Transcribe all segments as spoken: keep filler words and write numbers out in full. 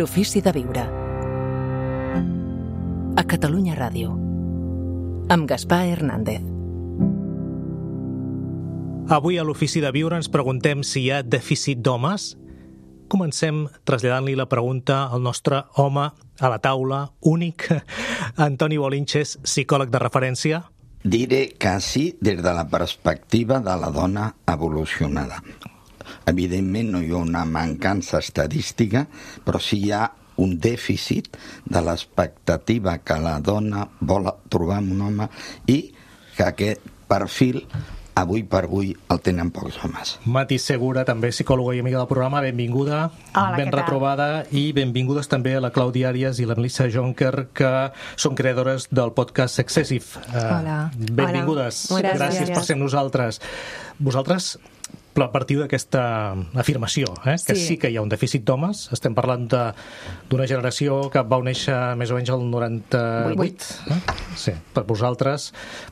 L'ofici de viure. A Catalunya Ràdio. Amb Gaspar Hernández. Avui a l'Ofici de Viure ens preguntem si hi ha dèficit d'homes. Comencem traslladant-li la pregunta al nostre home a la taula, únic, Antoni Bolinches, psicòleg de referència. Diré que sí des de la perspectiva de la dona evolucionada. Evidentment no hi ha una mancança estadística, però sí hi ha un dèficit de l'expectativa que la dona vol trobar en un home i que aquest perfil avui per avui el tenen pocs homes. Mati Segura, també psicòloga i amiga del programa, benvinguda. Hola, ben què tal? retrobada, i benvingudes també a la Clàudia Àrias i la Melissa Jonker, que són creadores del podcast Excessive. Hola. Benvingudes. Hola. Gràcies Gràcies. per ser amb nosaltres. Vosaltres partiu d'aquesta afirmació, eh? que sí. sí que hi ha un dèficit d'homes. Estem parlant de- d'una generació que va néixer més o menys el noranta-vuit. Eh? Sí, per vosaltres.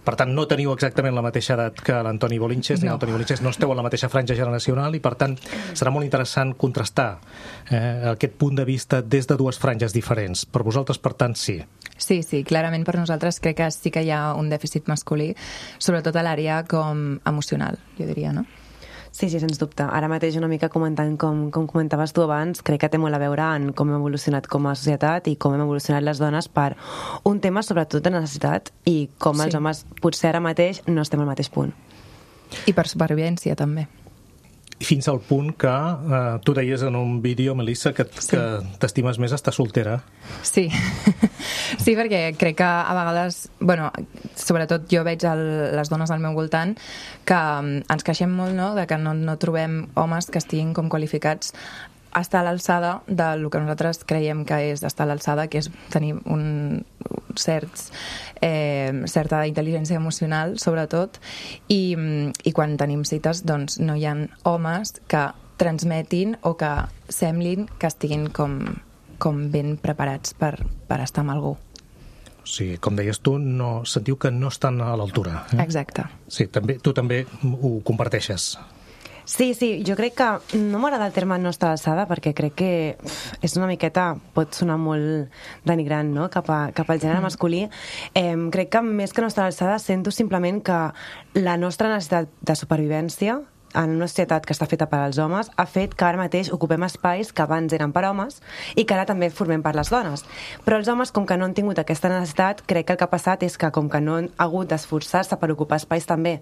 Per tant, no teniu exactament la mateixa edat que l'Antoni Bolinches, ni No. l'Antoni Bolinches, no esteu en la mateixa franja generacional i, per tant, serà molt interessant contrastar eh, aquest punt de vista des de dues franges diferents. Per vosaltres, per tant, sí. Sí, sí, clarament per nosaltres crec que sí que hi ha un dèficit masculí, sobretot a l'àrea com emocional, jo diria, no? Sí, sí, sens dubte. Ara mateix una mica comentant com, com comentaves tu abans, crec que té molt a veure en com hem evolucionat com a societat i com hem evolucionat les dones per un tema sobretot de necessitat i com els Sí. homes potser ara mateix no estem al mateix punt. I per supervivència, també. Fins al punt que eh, tu deies en un vídeo, Melissa, que, Sí. que t'estimes més estar soltera. Sí, sí, perquè crec que a vegades, bueno, sobretot jo veig el, les dones al meu voltant que mm, ens queixem molt, no?, de que no, no trobem homes que estiguin com qualificats a estar a l'alçada del que nosaltres creiem que és estar a l'alçada, que és tenir un, certs, eh, certa intel·ligència emocional, sobretot, i, mm, i quan tenim cites, doncs no hi ha homes que transmetin o que semblin que estiguin com, com ben preparats per, per estar amb algú. O sigui, com deies tu, no, sentiu que no estan a l'altura. Eh? Exacte. Sí, també, tu també ho comparteixes. Sí, sí, jo crec que no m'agrada el terme no estar a l'alçada perquè crec que uf, és una miqueta, pot sonar molt denigrant, no?, cap, a, cap al gènere masculí. Eh, crec que més que no estar a l'alçada sento simplement que la nostra necessitat de supervivència en una societat que està feta per als homes ha fet que ara mateix ocupem espais que abans eren per homes i que ara també formem per les dones. Però els homes, com que no han tingut aquesta necessitat, crec que el que ha passat és que com que no han hagut d'esforçar-se per ocupar espais també,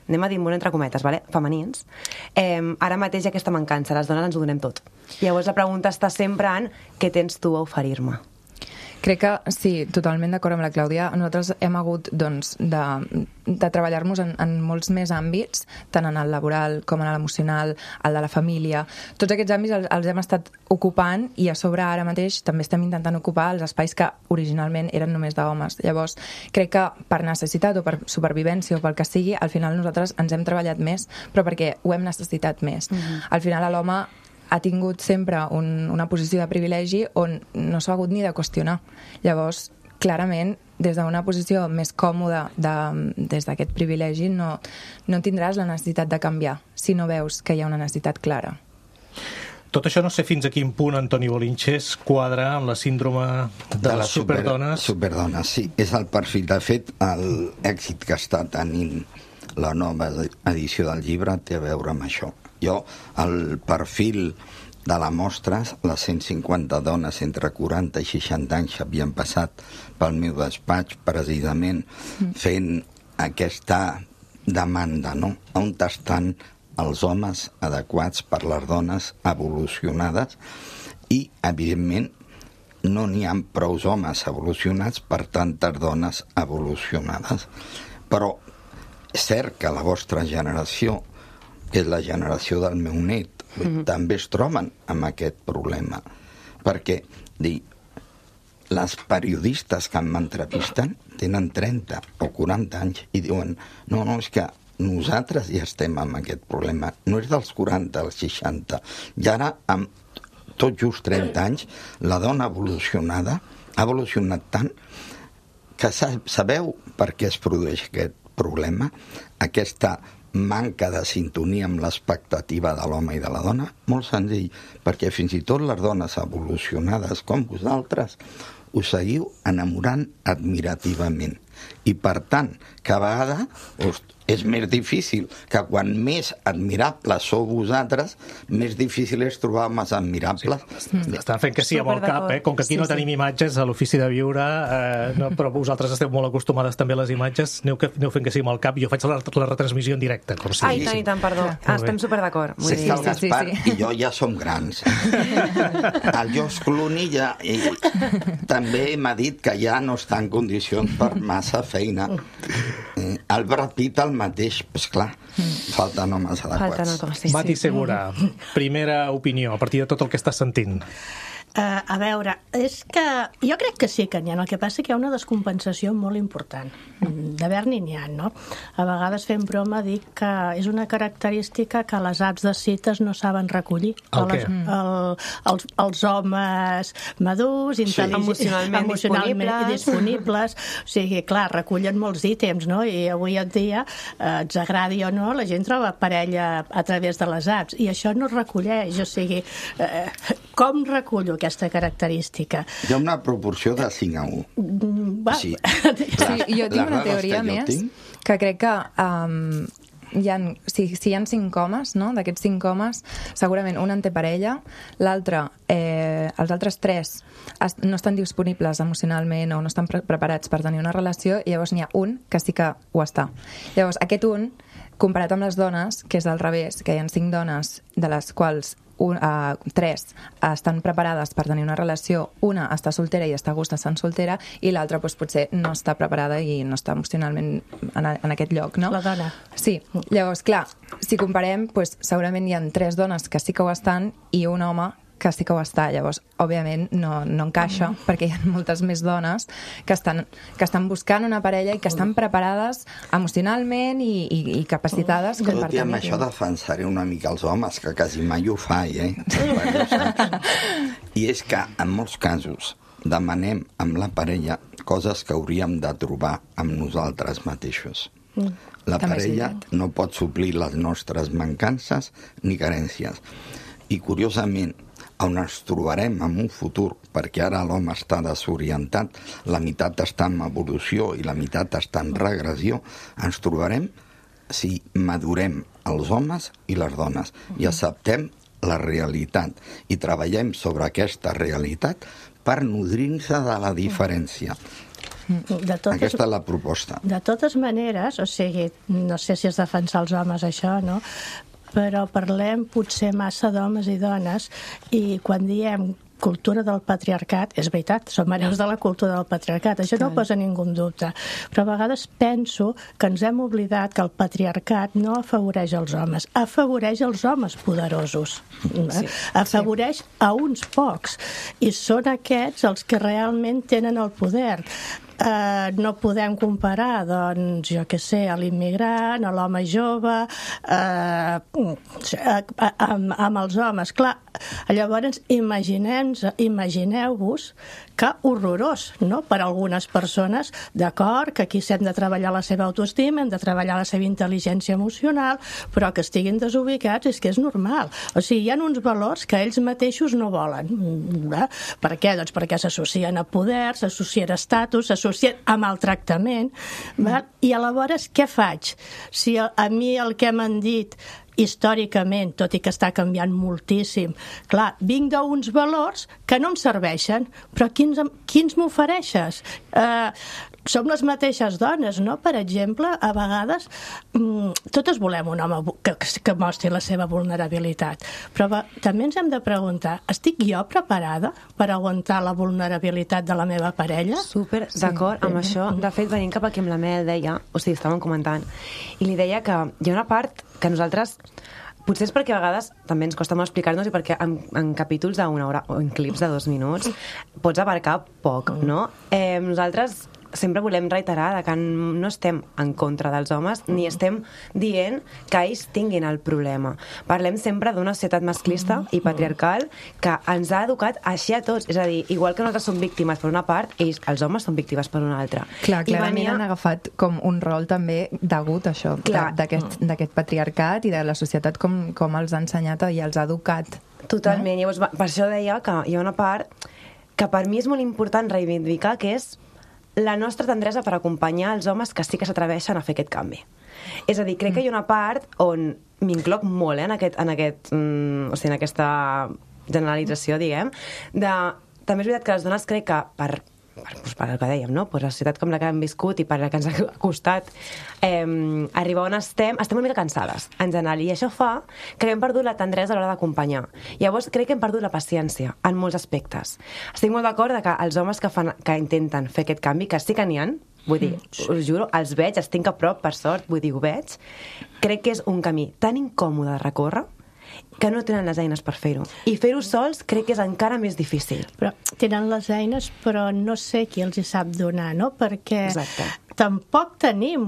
anem a dir molt entre cometes, vale? femenins, eh, ara mateix hi ha aquesta mancança, les dones ens ho donem tot. Llavors la pregunta està sempre en què tens tu a oferir-me? Crec que sí, totalment d'acord amb la Clàudia. Nosaltres hem hagut doncs, de, de treballar-nos en, en molts més àmbits, tant en el laboral com en l'emocional, el de la família. Tots aquests àmbits els, els hem estat ocupant i a sobre ara mateix també estem intentant ocupar els espais que originalment eren només d'homes. Llavors, crec que per necessitat o per supervivència o pel que sigui, al final nosaltres ens hem treballat més, però perquè ho hem necessitat més. Mm-hmm. Al final l'home ha tingut sempre un, una posició de privilegi on no s'ha hagut ni de qüestionar. Llavors, clarament, des d'una posició més còmoda de, des d'aquest privilegi no, no tindràs la necessitat de canviar si no veus que hi ha una necessitat clara. Tot això no sé fins a quin punt, Antoni Bolinches, quadra amb la síndrome de, de les super- superdones. Superdones, sí. És el perfil. De fet, l'èxit que està tenint la nova edició del llibre té a veure amb això. Jo, el perfil de la mostra, les cent cinquanta dones entre quaranta i seixanta anys havien passat pel meu despatx precisament fent aquesta demanda, no? On estan els homes adequats per les dones evolucionades i, evidentment, no n'hi ha prou homes evolucionats per tantes dones evolucionades. Però és cert que la vostra generació, que és la generació del meu net, mm-hmm. també es troben amb aquest problema. Perquè, dir, les periodistes que m'entrevisten tenen trenta o quaranta anys i diuen, no, no, és que nosaltres ja estem amb aquest problema. No és dels quaranta als seixanta. I ara, amb tot just trenta anys, la dona evolucionada ha evolucionat tant que sabeu per què es produeix aquest problema, aquesta manca de sintonia amb l'expectativa de l'home i de la dona? Molt senzill, perquè fins i tot les dones evolucionades com vosaltres us seguiu enamorant admirativament. I, per tant, cada vegada us, és més difícil que quan més admirables sou vosaltres, més difícil és trobar homes admirables. Sí. Estan fent que sí amb el cap, eh? Com que aquí sí, no tenim sí. imatges a l'ofici de viure, eh, no, però vosaltres esteu molt acostumades també a les imatges, aneu, que, aneu fent que sí amb el cap. Jo faig la, la retransmissió en directe, com si... Ai, tant i tant, perdó. Ah, estem superd'acord. Sí, sí, el Gaspar sí, sí. i jo ja som grans. El George Clooney ja, també m'ha dit que ja no està en condicions per massa feina. El Brad Pitt el mateix, pues clar, falten homes adequats. Falten homes, sí, sí. Mati Segura, primera opinió a partir de tot el que estàs sentint. Uh, a veure, és que jo crec que sí que n'hi ha, el que passa que hi ha una descompensació molt important. D'haver-n'hi n'hi ha, no? A vegades fem broma dic que és una característica que les apps de cites no saben recollir. El què? Les, el, els, els homes madurs, sí. emocionalment, emocionalment disponibles. disponibles. O sigui, clar, recullen molts ítems, no? I avui en dia, eh, ens agradi o no, la gent troba parella a través de les apps, i això no es recolleix. O sigui, eh, com recullo aquesta característica? Hi ha una proporció de cinc a u. Va. Sí. Sí, jo tinc una teoria que més, tinc... que crec que um, hi ha, si, si hi ha cinc homes, no? D'aquests cinc homes, segurament un en té parella, l'altre, eh, els altres tres es, no estan disponibles emocionalment o no estan pre preparats per tenir una relació, i llavors n'hi ha un que sí que ho està. Llavors, aquest un, comparat amb les dones, que és al revés, que hi ha cinc dones, de les quals Un, uh, tres estan preparades per tenir una relació, una està soltera i està a gust estant soltera, i l'altra doncs, potser no està preparada i no està emocionalment en, en aquest lloc, no? La dona. Sí, llavors, clar, si comparem, doncs, segurament hi ha tres dones que sí que ho estan i un home que sí que ho està. Llavors, òbviament, no, no encaixa, mm. perquè hi ha moltes més dones que estan, que estan buscant una parella i que estan preparades emocionalment i, i, i capacitades com per tenir. Tot i amb això defensaré una mica els homes, que quasi mai ho faig, eh? I és que, en molts casos, demanem amb la parella coses que hauríem de trobar amb nosaltres mateixos. Mm. La parella no pot suplir les nostres mancances ni carències. I, curiosament, on ens trobarem en un futur, perquè ara l'home està desorientat, la meitat està en evolució i la meitat està en regressió, ens trobarem si madurem els homes i les dones i acceptem la realitat i treballem sobre aquesta realitat per nodrir-se de la diferència. De totes, aquesta és la proposta. De totes maneres, o sigui, no sé si és defensar els homes això, no? Però parlem potser massa d'homes i dones, i quan diem cultura del patriarcat, és veritat, som hereus de la cultura del patriarcat, això no ho posa ningú en dubte, però a vegades penso que ens hem oblidat que el patriarcat no afavoreix els homes, afavoreix els homes poderosos, sí, afavoreix sí. a uns pocs, i són aquests els que realment tenen el poder. Uh, no podem comparar, doncs, jo què sé, a l'immigrant, a l'home jove, uh, amb, amb els homes. Clar, llavors imaginem-vos imagineu-vos que horrorós, no?, per a algunes persones, d'acord, que aquí s'hem de treballar la seva autoestima, hem de treballar la seva intel·ligència emocional, però que estiguin desubicats és que és normal. O sigui, hi ha uns valors que ells mateixos no volen. Eh? Per què? Doncs perquè s'associen a poder, s'associen a estatus, s'associen a maltractament. Mm. I aleshores, què faig? Si a, a mi el que m'han dit històricament, tot i que està canviant moltíssim, clar, vinc d'uns valors que no em serveixen, però quins, quins m'ofereixes? Eh, som les mateixes dones, no? Per exemple, a vegades mmm, totes volem un home que, que mostri la seva vulnerabilitat, però va, també ens hem de preguntar, estic jo preparada per aguantar la vulnerabilitat de la meva parella? Super d'acord sí. amb això. De fet, venint cap aquí amb la Mel deia, o sigui, estàvem comentant, i li deia que hi ha una part que nosaltres, potser és perquè a vegades també ens costa molt explicar-nos i perquè en, en capítols d'una hora o en clips de dos minuts pots abarcar poc, no? Eh, nosaltres sempre volem reiterar que no estem en contra dels homes ni estem dient que ells tinguin el problema. Parlem sempre d'una societat masclista i patriarcal que ens ha educat així a tots. És a dir, igual que nosaltres som víctimes per una part, ells, els homes, són víctimes per una altra. Clar, clarament venia... han agafat com un rol també degut a això, d'aquest patriarcat i de la societat com, com els ha ensenyat i els ha educat. Totalment. No? Llavors, per això deia que hi ha una part que per mi és molt important reivindicar, que és la nostra tendresa per acompanyar els homes que sí que s'atreveixen a fer aquest canvi. És a dir, crec que hi ha una part on m'incloc molt, eh, en, aquest, en, aquest, mm, o sigui, en aquesta generalització, diguem, de... També és veritat que les dones crec que per... Per, doncs per el que dèiem, no? Pues la societat com la que hem viscut i per la que ens ha costat eh, arribar on estem, estem una mica cansades, en general, i això fa que hem perdut la tendresa a l'hora d'acompanyar. Llavors, crec que hem perdut la paciència en molts aspectes. Estic molt d'acord que els homes que, fan, que intenten fer aquest canvi, que sí que n'hi ha, vull dir, us juro, els veig, els tinc a prop, per sort, vull dir, ho veig, crec que és un camí tan incòmode de recórrer que no tenen les eines per fer-ho. I fer-ho sols crec que és encara més difícil. Però tenen les eines, però no sé qui els hi sap donar, no? Perquè Exacte. Tampoc tenim...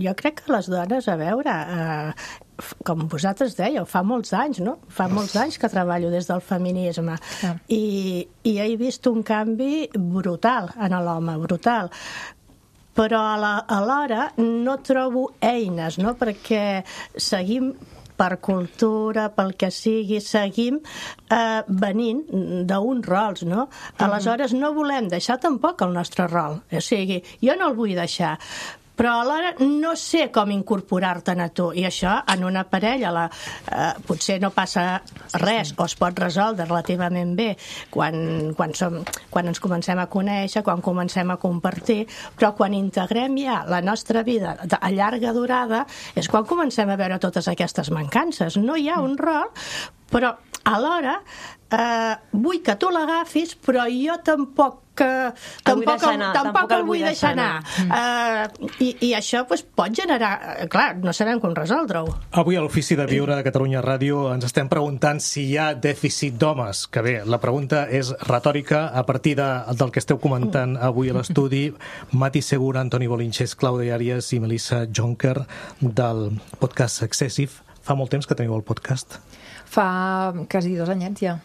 Jo crec que les dones, a veure... Eh, com vosaltres dèieu, fa molts anys, no? Fa molts anys que treballo des del feminisme. Ah. I, i he vist un canvi brutal en l'home, brutal. Però alhora no trobo eines, no? Perquè seguim... per cultura, pel que sigui, seguim eh, venint d'uns rols, no? Aleshores, no volem deixar tampoc el nostre rol. O sigui, jo no el vull deixar, però alhora no sé com incorporar-te'n a tu. I això, en una parella, la, eh, potser no passa res, o es pot resoldre relativament bé quan, quan, som, quan ens comencem a conèixer, quan comencem a compartir, però quan integrem ja la nostra vida a llarga durada és quan comencem a veure totes aquestes mancances. No hi ha un rol, però alhora eh, vull que tu l'agafis, però jo tampoc que tampoc, el, tampoc, tampoc el vull deixar anar. anar. Uh, i, I això pues, pot generar... Clar, no sabem com resoldre-ho. Avui a l'Ofici de Viure de Catalunya Ràdio ens estem preguntant si hi ha dèficit d'homes. Que bé, la pregunta és retòrica a partir de, del que esteu comentant avui a l'estudi. Mati Segura, Antoni Bolinches, Clàudia Àries i Melissa Jonker del podcast Excessive. Fa molt temps que teniu el podcast? Fa quasi dos anyets ja.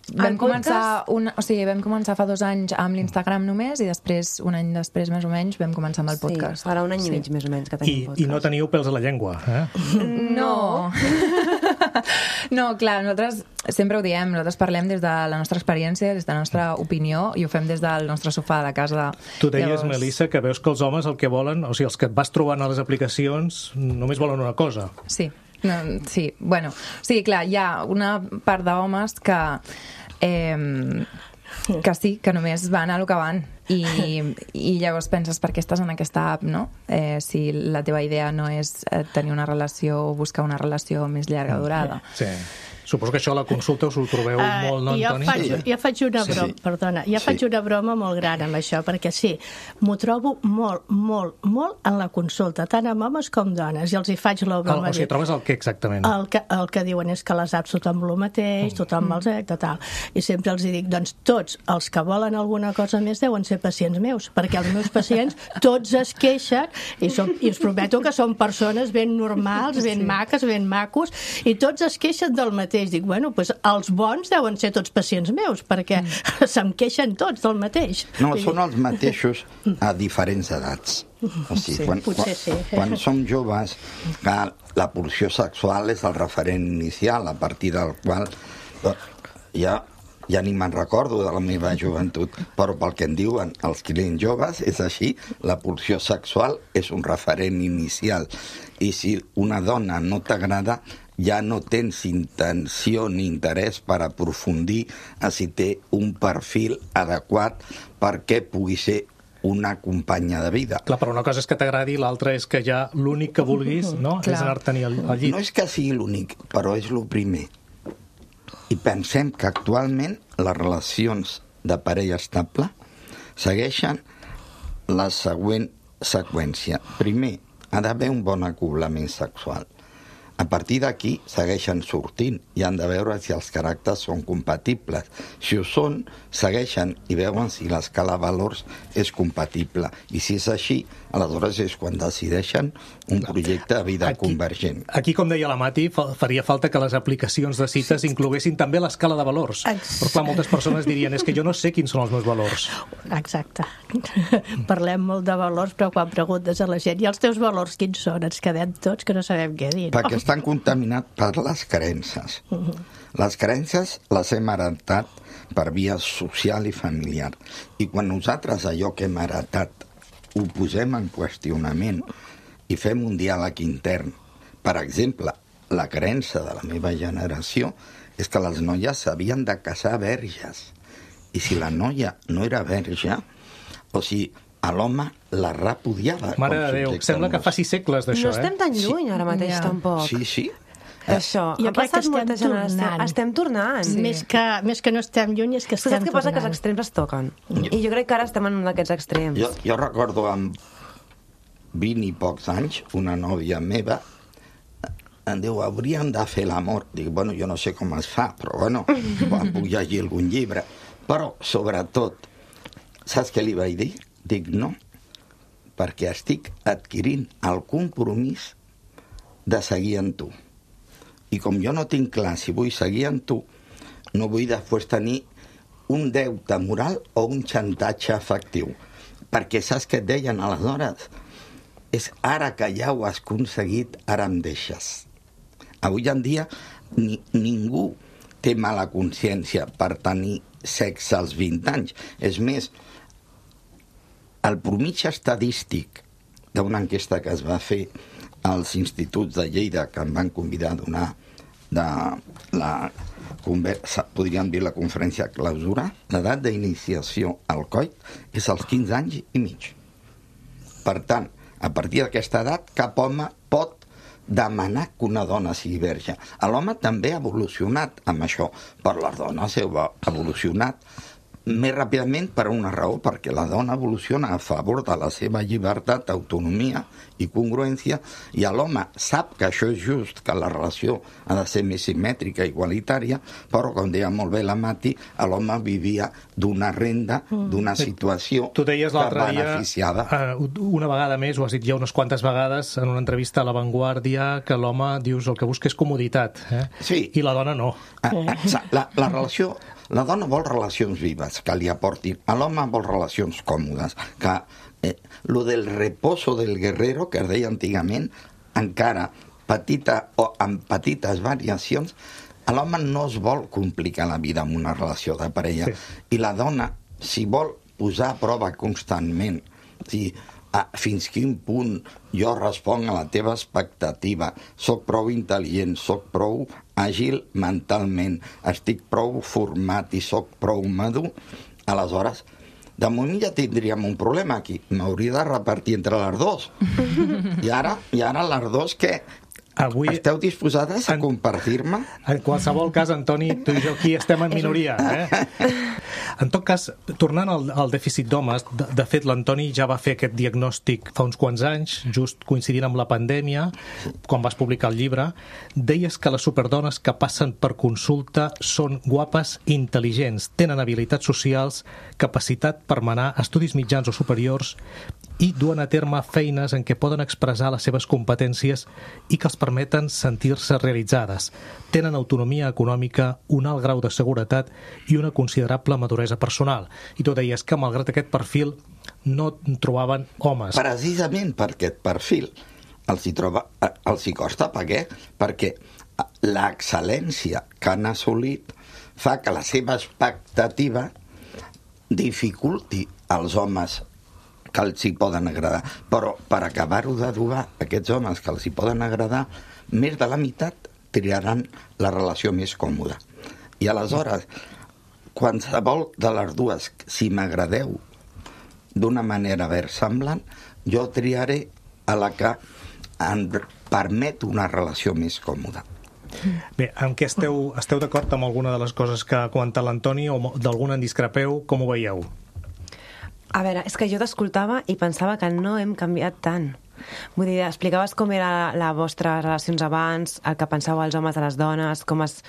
Vam començar, un, o sigui, vam començar fa dos anys amb l'Instagram només i després, un any després més o menys, vam començar amb el podcast. Sí, farà un any sí. i mig més o menys que tenim I, podcast. I no teniu pèls a la llengua, eh? No. No, clar, nosaltres sempre ho diem, nosaltres parlem des de la nostra experiència, des de la nostra opinió i ho fem des del nostre sofà de casa. Tu deies, Llavors... Melissa, que veus que els homes el que volen, o sigui, els que et vas trobant a les aplicacions només volen una cosa. Sí. No, sí, bueno, sí, clar, hi ha una part d'homes que eh, que sí, que només van a lo que van i, i llavors penses per què estàs en aquesta app, no? Eh, si la teva idea no és tenir una relació o buscar una relació més llarga durada. Sí. Suposo que això a la consulta us ho trobeu uh, molt, no, jo Antoni? Faig, jo faig una broma, sí. perdona, jo sí. faig una broma molt gran amb això, perquè sí, m'ho trobo molt, molt, molt en la consulta, tant amb homes com dones, i els hi faig la broma. El, o sigui, trobes el què exactament? El que, el que diuen és que les apps tothom el mateix, tothom els mm. tal, i sempre els hi dic, doncs tots els que volen alguna cosa més deuen ser pacients meus, perquè els meus pacients tots es queixen, i, som, i us prometo que són persones ben normals, ben sí. maques, ben macos, i tots es queixen del mateix. Dic, bueno, doncs els bons deuen ser tots pacients meus, perquè mm. se'm queixen tots del mateix. No, són els mateixos a diferents edats. O sigui, sí, quan, potser quan, sí. Quan som joves, que la pulsió sexual és el referent inicial, a partir del qual ja, ja ni me'n recordo de la meva joventut, però pel que en diuen els clients joves és així, la pulsió sexual és un referent inicial. I si una dona no t'agrada, ja no tens intenció ni interès per aprofundir a si té un perfil adequat perquè pugui ser una companya de vida. Clar, però una cosa és que t'agradi, l'altra és que ja l'únic que vulguis, no?, és anar-te'n al, al llit. No és que sigui l'únic, però és el primer. I pensem que actualment les relacions de parella estable segueixen la següent seqüència. Primer, ha d'haver un bon acoblament sexual. A partir d'aquí segueixen sortint i han de veure si els caràcters són compatibles. Si ho són, segueixen i veuen si l'escala de valors és compatible. I si és així, aleshores és quan decideixen un projecte de vida aquí, convergent. Aquí, com deia la Mati, faria falta que les aplicacions de cites incloguessin també l'escala de valors. Però clar, moltes persones dirien, és que jo no sé quins són els meus valors. Exacte. Parlem molt de valors, però quan preguntes a la gent, i els teus valors quins són? Ens quedem tots que no sabem què dir. Perquè estan contaminats per les creences. Les creences les hem heretat per via social i familiar. I quan nosaltres allò que hem heretat ho posem en qüestionament i fem un diàleg intern, per exemple, la creença de la meva generació és que les noies s'havien de casar verges. I si la noia no era verge, o sigui, a l'home la repudiava. Mare de Déu, sembla que faci segles d'això, eh? No estem tan lluny ara mateix, Ja. tampoc. Sí, sí. Això, Jo ha crec que passat estem molta generació. tornant. Estem tornant. Sí. Més, que, més que no estem lluny és que Saps estem què passa? Que els tornant. extrems es toquen. I jo crec que ara estem en un d'aquests extrems. Jo, jo recordo amb vint i pocs anys, una nòvia meva em diu, hauríem de fer l'amor. Dic, bueno, jo no sé com es fa, però bueno, quan puc llegir algun llibre. Però, sobretot, saps què li vaig dir? Dic, no, perquè estic adquirint el compromís de seguir amb tu. I com jo no tinc clar si vull seguir amb tu, no vull després tenir un deute moral o un xantatge afectiu. Perquè saps què et deien aleshores? És ara que ja ho has aconseguit, ara em deixes. Avui en dia ni, ningú té mala consciència per tenir sexe als vint anys. És més, el promig estadístic d'una enquesta que es va fer als instituts de Lleida, que em van convidar a donar de la conversa, podríem dir la conferència clausura, l'edat d'iniciació al coit és als quinze anys i mig. Per tant, a partir d'aquesta edat, cap home pot demanar que una dona sigui verge. L'home també ha evolucionat amb això, però les dones heu evolucionat més ràpidament per una raó, perquè la dona evoluciona a favor de la seva llibertat, autonomia i congruència, i l'home sap que això és just, que la relació ha de ser més simètrica, igualitària, però, com deia molt bé la Mati, l'home vivia d'una renda, d'una situació tu deies que l'altre dia, beneficiava. uh, una vegada més, ho has dit ja unes quantes vegades, en una entrevista a La Vanguardia, que l'home, dius, el que busca és comoditat, eh? Sí. I la dona no. La, la relació... La dona vol relacions vives, que li aportin. L'home vol relacions còmodes, que eh, lo del reposo del guerrero, que es deia antigament, encara petita o amb petites variacions, l'home no es vol complicar la vida amb una relació de parella. Sí. I la dona, si vol posar a prova constantment, si a fins quin punt jo responc a la teva expectativa, soc prou intel·ligent, soc prou àgil mentalment, estic prou format i soc prou madur, aleshores, de moment ja tindríem un problema aquí. M'hauria de repartir entre les dos. I ara, i ara les dos, què? Avui... Esteu disposades a compartir-me? En qualsevol cas, Antoni, tu i jo aquí estem en minoria. Eh? En tot cas, tornant al, al dèficit d'homes, de, de fet, l'Antoni ja va fer aquest diagnòstic fa uns quants anys, just coincidint amb la pandèmia, quan vas publicar el llibre. Deies que les superdones que passen per consulta són guapes i intel·ligents, tenen habilitats socials, capacitat per manar estudis mitjans o superiors i duen a terme feines en què poden expressar les seves competències i que els permeten sentir-se realitzades. Tenen autonomia econòmica, un alt grau de seguretat i una considerable maduresa personal. I tu deies que, malgrat aquest perfil, no trobaven homes. Precisament per aquest perfil els hi, troba, els hi costa. Per què? Perquè l'excel·lència que han assolit fa que la seva expectativa dificulti als homes que els hi poden agradar. Però per acabar-ho d'adobar, aquests homes que els hi poden agradar, més de la meitat triaran la relació més còmoda. I aleshores, qualsevol de les dues, si m'agradeu d'una manera versemblant, jo triaré a la que em permet una relació més còmoda. Bé, en què esteu, esteu d'acord amb alguna de les coses que ha comentat l'Antoni o d'alguna en discrepeu? Com ho veieu? A veure, és que jo t'escoltava i pensava que no hem canviat tant. Vull dir, explicaves com era les vostres relacions abans, el que pensàveu els homes de les dones, com es,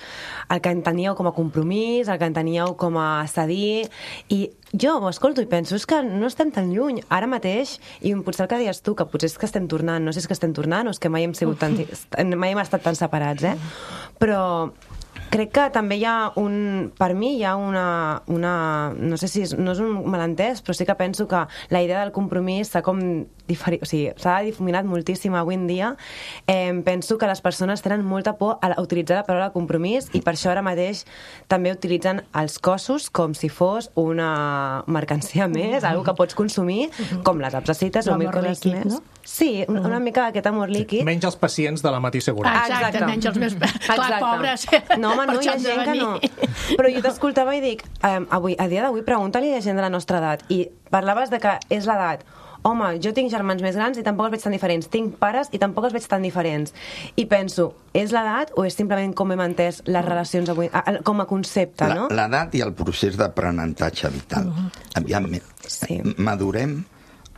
el que enteníeu com a compromís, el que enteníeu com a cedir, i jo ho escolto i penso, és que no estem tan lluny, ara mateix, i potser el que deies tu, que potser és que estem tornant, no sé si és que estem tornant o és que mai hem sigut tan, mai hem estat tan separats, eh? Però crec que també hi ha un... Per mi hi ha una... una no sé si és, no és un malentès, però sí que penso que la idea del compromís s'ha com diferi, o sigui, s'ha difuminat moltíssim avui en dia. Eh, penso que les persones tenen molta por a utilitzar la paraula compromís i per això ara mateix també utilitzen els cossos com si fos una mercancia més, mm-hmm. algo que pots consumir, mm-hmm. com les apps de cites o mil coses líquid, més. No? Sí, una, una mica aquest amor líquid. Sí. Menys els pacients de la Matí Seguretat. Ah, exacte, menys els més... Clar, pobres. No, home, no, hi ha gent que no. Però jo t'escoltava i dic, eh, avui, a dia d'avui, pregunta-li a gent de la nostra edat. I parlaves de que és l'edat. Home, jo tinc germans més grans i tampoc els veig tan diferents. Tinc pares i tampoc els veig tan diferents. I penso, és l'edat o és simplement com hem entès les relacions avui, com a concepte, no? L'edat i el procés d'aprenentatge vital. Uh-huh. Aviam, sí. madurem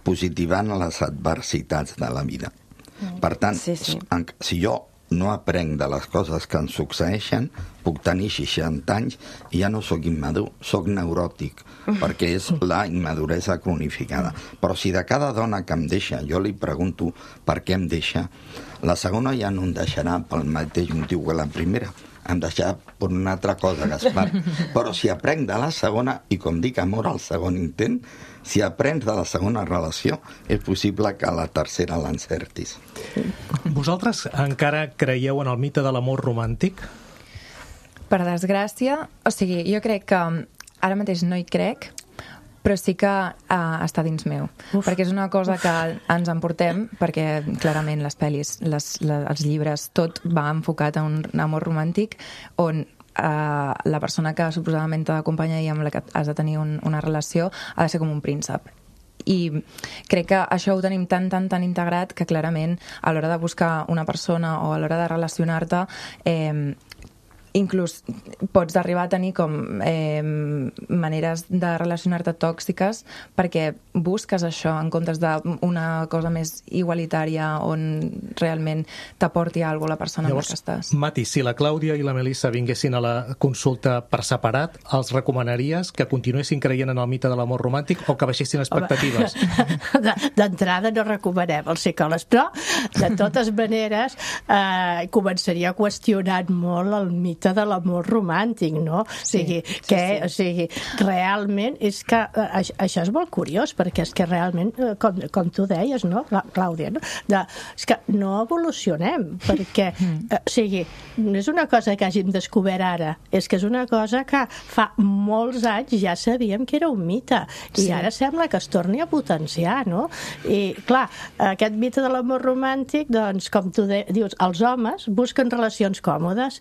positivant les adversitats de la vida. Per tant, sí, sí. si jo no aprenc de les coses que em succeeixen, puc tenir seixanta anys i ja no sóc immadur, sóc neuròtic, perquè és la immaduresa cronificada. Però si de cada dona que em deixa jo li pregunto per què em deixa, la segona ja no em deixarà pel mateix motiu que la primera, em deixarà per una altra cosa, Gaspar. Però si aprenc de la segona, i com dic amor al segon intent, si aprens de la segona relació, és possible que a la tercera l'encertis. Vosaltres encara creieu en el mite de l'amor romàntic? Per desgràcia, o sigui, jo crec que ara mateix no hi crec, però sí que uh, està dins meu. Uf. Perquè és una cosa que ens emportem, perquè clarament les pel·lis, les, les, els llibres, tot va enfocat a un amor romàntic on Uh, la persona que suposadament t'ha d'acompanyar i amb la que has de tenir un, una relació ha de ser com un príncep. I crec que això ho tenim tan, tan, tan integrat que clarament a l'hora de buscar una persona o a l'hora de relacionar-te eh, inclús pots arribar a tenir com eh, maneres de relacionar-te tòxiques perquè busques això en comptes d'una cosa més igualitària on realment t'aporti alguna cosa la persona Llavors, amb la que estàs. Mati, si la Clàudia i la Melissa vinguessin a la consulta per separat, els recomanaries que continuessin creient en el mite de l'amor romàntic o que baixessin expectatives? D'entrada no recomanem els psicòlegs, però de totes maneres eh, començaria qüestionant molt el mite de l'amor romàntic, no? O sigui, sí, que, sí, sí. O sigui, realment és que eh, això és molt curiós, perquè és que realment, com, com tu deies, no, Clàudia, no? De, és que no evolucionem, perquè, eh, o sigui, no és una cosa que hàgim descobert ara, és que és una cosa que fa molts anys ja sabíem que era un mite, i sí. ara sembla que es torni a potenciar, no? I, clar, aquest mite de l'amor romàntic, doncs, com tu de, dius, els homes busquen relacions còmodes.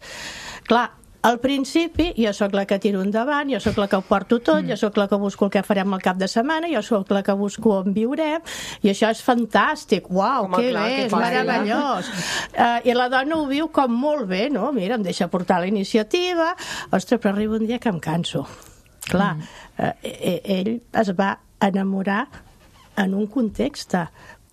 Clar, al principi jo sóc la que tiro endavant, jo sóc la que ho porto tot, mm. jo sóc la que busco el que farem al cap de setmana, jo sóc la que busco on viurem, i això és fantàstic, uau, que bé, és meravellós. Uh, I la dona ho viu com molt bé, no? Mira, em deixa portar la iniciativa, ostres, però arriba un dia que em canso. Clar, mm. uh, ell es va enamorar en un context,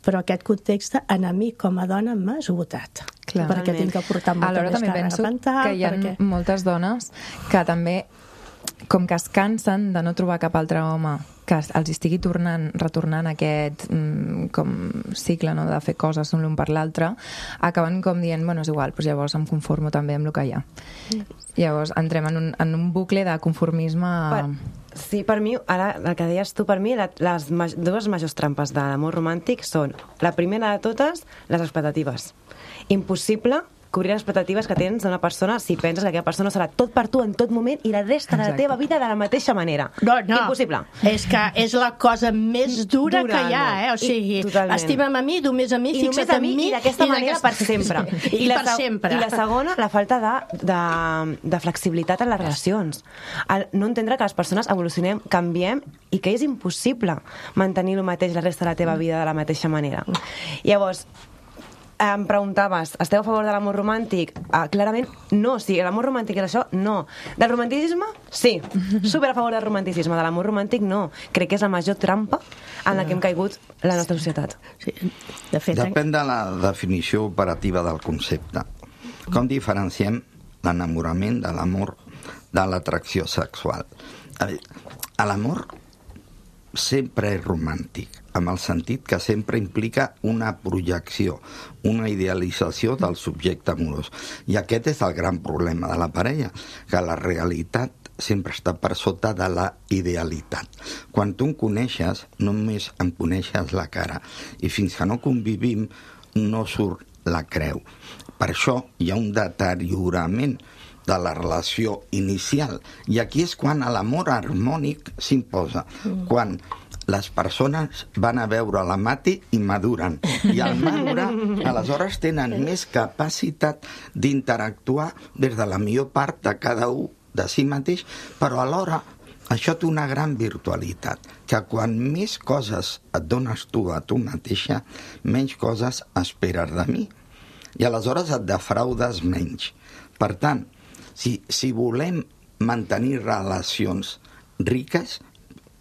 però aquest context a mi com a dona m'ha esgotat. Clar. Perquè tinc que portar molta Alhora, més càrrega mental. Que hi ha perquè... moltes dones que també, com que es cansen de no trobar cap altre home que els estigui tornant, retornant aquest mm, com cicle, no?, de fer coses l'un per l'altre, acaben com dient, bueno, és igual, doncs llavors em conformo també amb el que hi ha. Mm. Llavors entrem en un, en un bucle de conformisme... Per, sí, per mi, ara el que deies tu, per mi, la, les ma dues majors trampes de l'amor romàntic són, la primera de totes, les expectatives. Impossible cobrir les expectatives que tens d'una persona si penses que aquella persona serà tot per tu en tot moment i la resta Exacte. de la teva vida de la mateixa manera. No, no. Impossible. És que és la cosa més dura, dura que hi ha, eh? O sigui, estima'm a mi, només a mi, I fixa't en mi, mi i d'aquesta manera per sempre. I, I, la, per sempre. I la segona, la falta de, de, de flexibilitat en les relacions. El no entendre que les persones evolucionem, canviem i que és impossible mantenir el mateix la resta de la teva vida de la mateixa manera. Llavors, em preguntaves, esteu a favor de l'amor romàntic? Ah, clarament, no. Sí, l'amor romàntic és això? No. Del romanticisme? Sí. Super a favor del romanticisme. De l'amor romàntic, no. Crec que és la major trampa en la que hem caigut la nostra societat. Sí, de fet... Depèn de la definició operativa del concepte. Com diferenciem l'enamorament de l'amor de l'atracció sexual? L'amor sempre és romàntic, amb el sentit que sempre implica una projecció, una idealització del subjecte amorós. I aquest és el gran problema de la parella, que la realitat sempre està per sota de la idealitat. Quan tu em coneixes, només em coneixes la cara, i fins que no convivim no surt la creu. Per això hi ha un deteriorament de la relació inicial. I aquí és quan l'amor harmònic s'imposa, mm. quan les persones van a veure la Mati i maduren. I al madurar, aleshores tenen més capacitat d'interactuar des de la millor part de cada un de si mateix, però alhora això té una gran virtualitat, que quan més coses et dones tu a tu mateixa, menys coses esperes de mi. I aleshores et defraudes menys. Per tant, si, si volem mantenir relacions riques,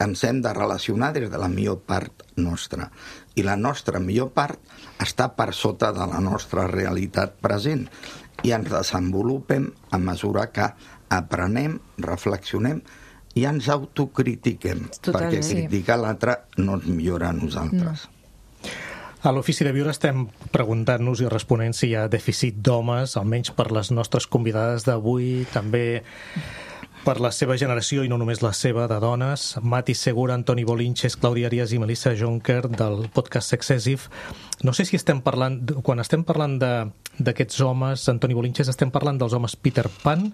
ens hem de relacionar des de la millor part nostra. I la nostra millor part està per sota de la nostra realitat present. I ens desenvolupem a mesura que aprenem, reflexionem i ens autocritiquem. Totalment, perquè criticar l'altre no ens millora a nosaltres. No. A l'Ofici de Viure estem preguntant-nos i responent si hi ha dèficit d'homes, almenys per les nostres convidades d'avui, també per la seva generació i no només la seva, de dones. Mati Segura, Antoni Bolinches, Clàudia Arias i Melissa Jonker del podcast Sexessive. No sé si estem parlant, quan estem parlant d'aquests homes, Antoni Bolinches, estem parlant dels homes Peter Pan?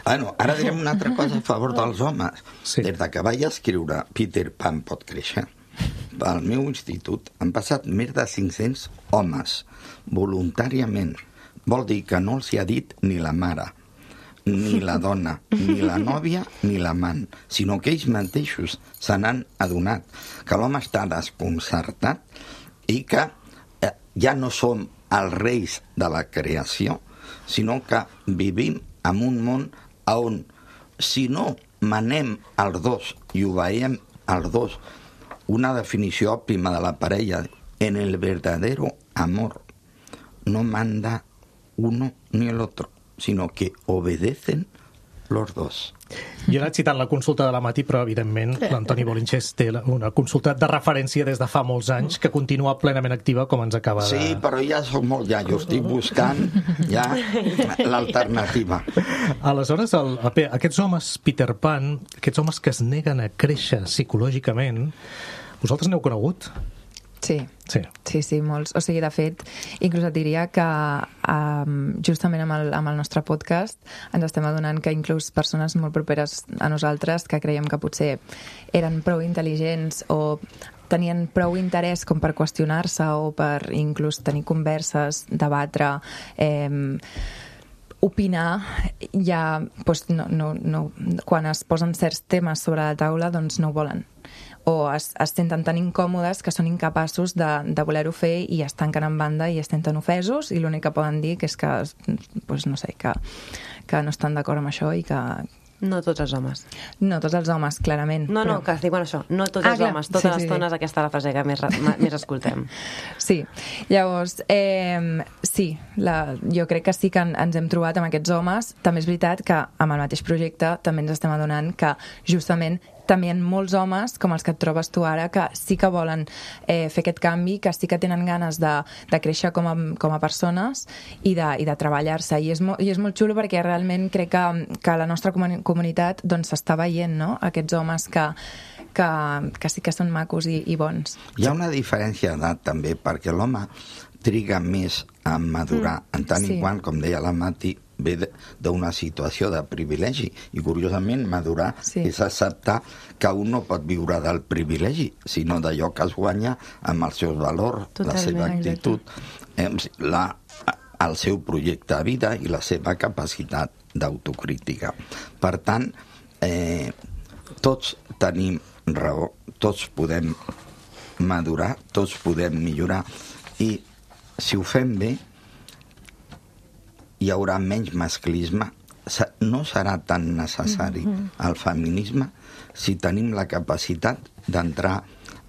Bueno, ara direm una altra cosa a favor dels homes. Sí. Des de que vaig escriure Peter Pan pot créixer, al meu institut han passat més de cinc-cents homes, voluntàriament. Vol dir que no els hi ha dit ni la mare, ni la dona, ni la nòvia, ni l'amant, sinó que ells mateixos se n'han adonat que l'home està desconcertat i que eh, ja no som els reis de la creació, sinó que vivim en un món on, si no manem els dos i obeïm els dos, una definició òptima de la parella, en el verdadero amor no manda uno ni el otro, sino que obedecen los dos. Jo he anat citant la consulta de la Mati, però evidentment l'Antoni Bolinches té una consulta de referència des de fa molts anys que continua plenament activa, com ens acaba de... Sí, però ja soc molt ja, jo estic buscant ja l'alternativa. Aleshores, el, aquests homes Peter Pan, aquests homes que es neguen a créixer psicològicament, vosaltres n'heu conegut? Sí, sí, sí, sí, molts. O sigui, de fet, inclús et diria que um, justament amb el, amb el nostre podcast ens estem adonant que inclús persones molt properes a nosaltres que creiem que potser eren prou intel·ligents o tenien prou interès com per qüestionar-se o per inclús tenir converses, debatre, eh, opinar, ja doncs, no, no, no, quan es posen certs temes sobre la taula doncs no ho volen, o es, es senten tan incòmodes que són incapaços de, de voler-ho fer i es tanquen en banda i es senten ofesos i l'únic que poden dir que és que, doncs, no sé, que, que no estan d'acord amb això i que... No tots els homes. No tots els homes, clarament. No, no, però... que estic, bueno, això, no tots ah, els clar. homes, totes sí, les sí, tones, sí. Aquesta és la frase que més, més escoltem. Sí, llavors, eh, sí, la, jo crec que sí que ens hem trobat amb aquests homes. També és veritat que amb el mateix projecte també ens estem adonant que justament també hi ha molts homes, com els que et trobes tu ara, que sí que volen eh, fer aquest canvi, que sí que tenen ganes de, de créixer com a, com a persones i de, i de treballar-se. I és, mo, I és molt xulo perquè realment crec que, que la nostra comunitat doncs, s'està veient, no? Aquests homes que, que, que sí que són macos i, i bons. Hi ha una diferència d'edat també, perquè l'home triga més a madurar, mm, en tant sí. i quant, com deia la Mati, ve d'una situació de privilegi, i curiosament madurar sí. és acceptar que un no pot viure del privilegi, sinó d'allò que es guanya amb els seus valors, totalment, la seva actitud, eh, la, el seu projecte de vida i la seva capacitat d'autocrítica. Per tant, eh, tots tenim raó, tots podem madurar, tots podem millorar, i si ho fem bé, hi haurà menys masclisme, no serà tan necessari el feminisme si tenim la capacitat d'entrar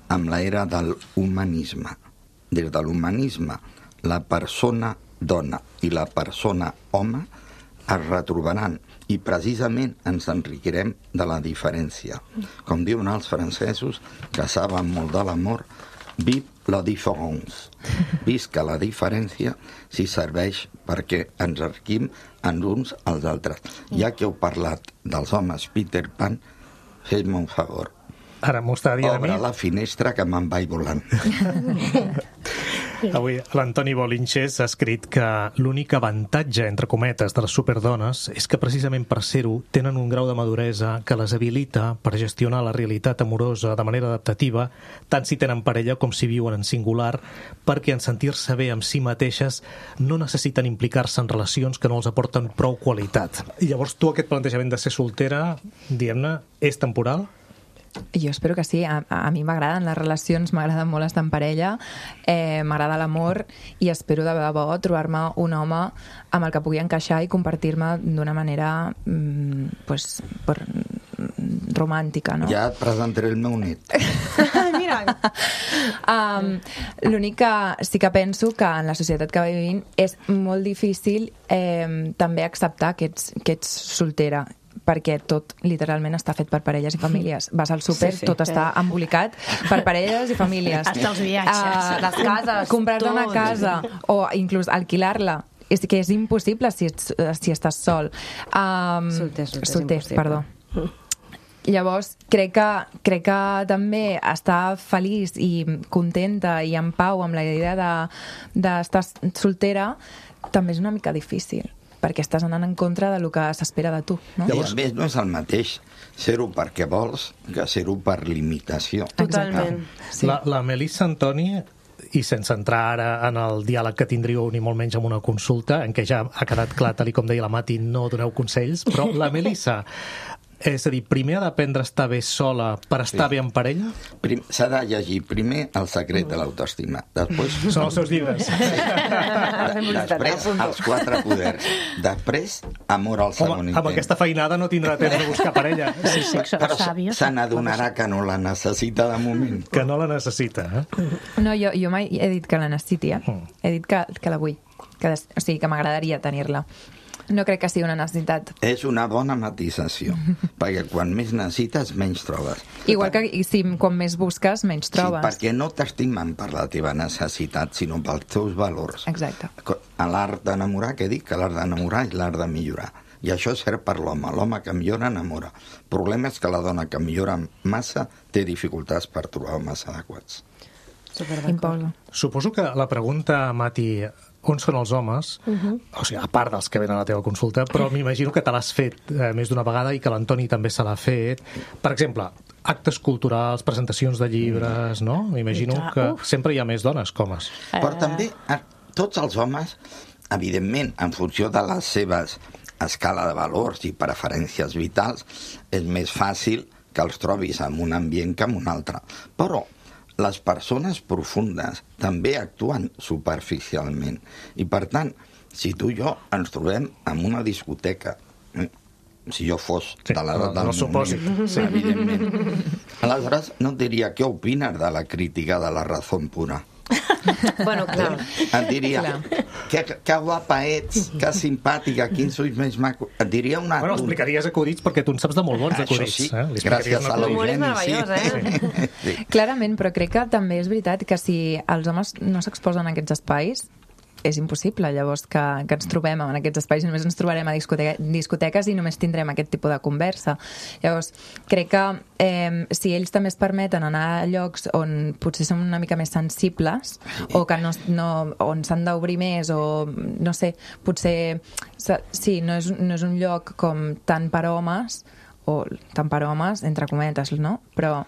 en l'era de l'humanisme. Des de l'humanisme, la persona dona i la persona home es retrobaran i precisament ens enriquirem de la diferència. Com diuen els francesos, que saben molt de l'amor, vive la différence. Visca la diferència si serveix perquè ens enriquim en uns als altres. Ja que heu parlat dels homes Peter Pan, fes-me un favor. Ara m'ho està dient a mi. Obre la finestra que me'n vaig volant. Avui l'Antoni Bolinches ha escrit que l'únic avantatge, entre cometes, de les superdones és que precisament per ser-ho tenen un grau de maduresa que les habilita per gestionar la realitat amorosa de manera adaptativa, tant si tenen parella com si viuen en singular, perquè en sentir-se bé amb si mateixes no necessiten implicar-se en relacions que no els aporten prou qualitat. I llavors tu aquest plantejament de ser soltera, diguem-ne, és temporal? Jo espero que sí. A, a mi m'agraden les relacions, m'agrada molt estar en parella, eh, m'agrada l'amor i espero de debò trobar-me un home amb el que pugui encaixar i compartir-me d'una manera mm, pues, per, romàntica, no? Ja et presentaré el meu net. Mira! um, L'únic que sí que penso que en la societat que vivim és molt difícil eh, també acceptar que ets, que ets soltera, perquè tot literalment està fet per parelles i famílies. Vas al súper, sí, sí, tot està embolicat per parelles i famílies. Hasta els viatges. Uh, les cases, comprar-te una casa o inclús alquilar-la. És que és impossible si, ets, si estàs sol. Um, solter, solter, solter, perdó. Llavors, crec que, crec que també estar feliç i contenta i en pau amb la idea d'estar de, soltera també és una mica difícil, perquè estàs anant en contra del que s'espera de tu, no? Llavors, I a més no és el mateix ser-ho perquè vols que ser-ho per limitació. Totalment. Sí. La, la Melissa Antoni, i sense entrar ara en el diàleg que tindríeu ni molt menys amb una consulta, en què ja ha quedat clar, tal com deia la Mati, no doneu consells, però la Melissa, és a dir, primer ha d'aprendre a estar bé sola per estar sí. bé en parella? S'ha de llegir primer El secret de l'autoestima. Després... Són els seus llibres. Sí. De, després, Els quatre poders. Després, Amor al segon Home, intent. amb aquesta feinada no tindrà temps de buscar parella. Sí, sí, però se n'adonarà que no la necessita de moment. Que no la necessita, eh? No, jo, jo mai he dit que la necessiti, eh? He dit que, que la vull. Que, o sigui, que m'agradaria tenir-la. No crec que sigui una necessitat. És una bona matisació, perquè quan més necessites, menys trobes. Igual que si quan més busques, menys trobes. Sí, perquè no t'estimen per la teva necessitat, sinó pels teus valors. Exacte. A l'art d'enamorar, què dic? Que l'art d'enamorar és l'art de millorar. I això és cert per l'home. L'home que millora, enamora. El problema és que la dona que millora massa té dificultats per trobar homes adequats. Imposa. Suposo que la pregunta, Mati, on són els homes, uh-huh. o sigui, a part dels que venen a la teva consulta, però m'imagino que te l'has fet eh, més d'una vegada i que l'Antoni també se l'ha fet. Per exemple, actes culturals, presentacions de llibres, no? M'imagino que Uf. sempre hi ha més dones que homes. Però també tots els homes, evidentment, en funció de les seves escala de valors i preferències vitals, és més fàcil que els trobis en un ambient que en un altre. Però les persones profundes també actuen superficialment. I, per tant, si tu i jo ens trobem en una discoteca, eh? si jo fos sí, de l'edat del moment, sí. evidentment, aleshores no et diria què opines de la crítica de la raó pura. Bueno, clar. Et diria, que, que guapa ets, que simpàtica, quins ulls més macos. Et diria una... Bueno, explicaries acudits perquè tu en saps de molt bons acudits. Això sí, eh? gràcies a l'Eugeni. l'Eugeni, sí. Eh? sí. Clarament, però crec que també és veritat que si els homes no s'exposen a aquests espais, és impossible, llavors, que, que ens trobem en aquests espais i només ens trobarem a discoteca, discoteques i només tindrem aquest tipus de conversa. Llavors, crec que eh, si ells també es permeten anar a llocs on potser són una mica més sensibles o que no, no, on s'han d'obrir més o, no sé, potser sí, no és, no és un lloc com tant per homes o tant per homes, entre cometes, no? Però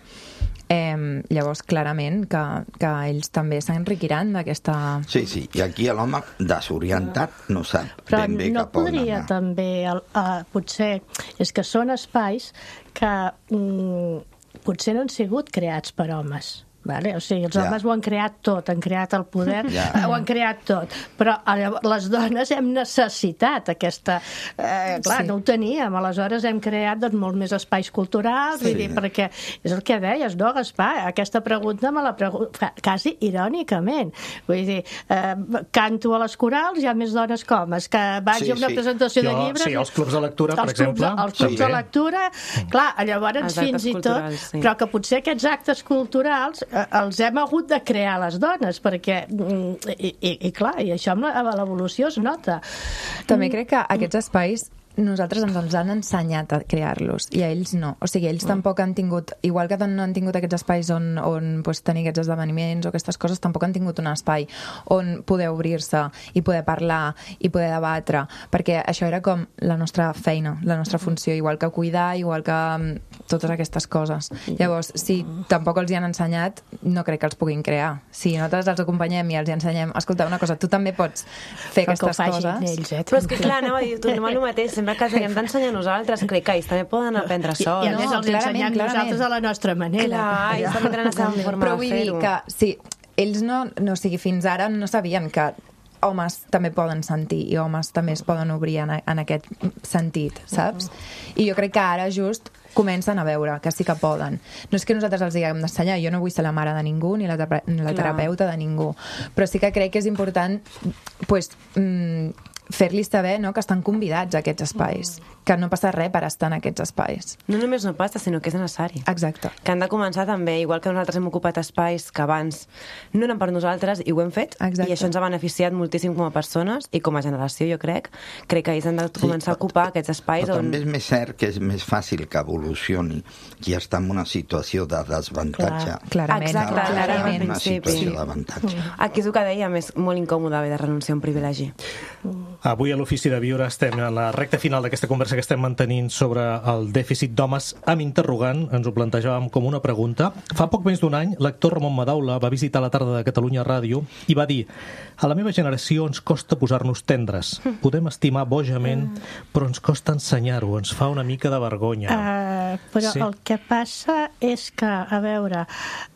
Eh, llavors, clarament, que, que ells també s'enriquiran d'aquesta... Sí, sí, i aquí l'home desorientat no sap Però ben bé no cap on podria anar. també, uh, potser, és que són espais que mm, potser no han sigut creats per homes. Vale? O sigui, els Ja. homes ho han creat tot, han creat el poder, Ja. ho han creat tot, però llavors, les dones hem necessitat aquesta... Eh, clar, Sí. no ho teníem, aleshores hem creat doncs, molt més espais culturals, Sí. vull dir, perquè és el que deies, no, Gaspar? Aquesta pregunta me la pregunta quasi irònicament. Vull dir, eh, canto a les corals, hi ha més dones que homes, que vaig Sí, a una sí. presentació de Jo- llibres... sí, els clubs de lectura, per els clubs de- exemple, Els clubs de també. lectura, clar, llavors Els actes fins i tot... culturals, sí. Però que potser aquests actes culturals eh, els hem hagut de crear les dones, perquè, mm, i, i, i clar, i això amb la- amb l'evolució es nota. També crec que aquests espais nosaltres ens els han ensenyat a crear-los i a ells no. O sigui, ells tampoc han tingut, igual que no han tingut aquests espais on, on pues, tenir aquests esdeveniments o aquestes coses, tampoc han tingut un espai on poder obrir-se i poder parlar i poder debatre, perquè això era com la nostra feina, la nostra funció, igual que cuidar, igual que um, totes aquestes coses. Llavors, si tampoc els hi han ensenyat, no crec que els puguin crear. Si nosaltres els acompanyem i els hi ensenyem, escolta, una cosa, tu també pots fer Però que ho aquestes facin coses. ells, eh? Però és que clar, anava a dir, tornem al mateix, sempre que els haguem d'ensenyar a nosaltres, crec que ells també poden aprendre I, sols. I a més No, els clarament, ensenyem clarament. nosaltres a la nostra manera. Clar, ells també tenen la seva forma Però de vull dir fer-ho. que, sí, ells no, no, o sigui, fins ara no sabien que homes també poden sentir i homes també es poden obrir en, en aquest sentit, saps? I jo crec que ara just comencen a veure que sí que poden. No és que nosaltres els diguem d'ensenyar, jo no vull ser la mare de ningú ni la, tera- ni la Clar. terapeuta de ningú, però sí que crec que és important pues, mm, fer-los saber, no?, que estan convidats a aquests espais, que no passa res per estar en aquests espais. No només no passa, sinó que és necessari. Exacte. Que han de començar també, igual que nosaltres hem ocupat espais que abans no eren per nosaltres i ho hem fet, Exacte. i això ens ha beneficiat moltíssim com a persones i com a generació, jo crec. Crec que ells han de començar a ocupar aquests espais Però on... també és més cert que és més fàcil que evolucioni qui està en una situació de desavantatge. Clarament. Exacte, que clarament. en una principi. situació d'avantatge. Aquí és el que dèiem, és molt incòmode haver de renunciar a un privilegi. Avui a l'Ofici de Viure estem en la recta final d'aquesta conversa que estem mantenint sobre el dèficit d'homes amb interrogant. Ens ho plantejàvem com una pregunta. Fa poc més d'un any, l'actor Ramon Madaula va visitar la tarda de Catalunya Ràdio i va dir: a la meva generació ens costa posar-nos tendres. Podem estimar bojament, però ens costa ensenyar-ho. Ens fa una mica de vergonya. Uh, però Sí. sí. El que passa és que, a veure,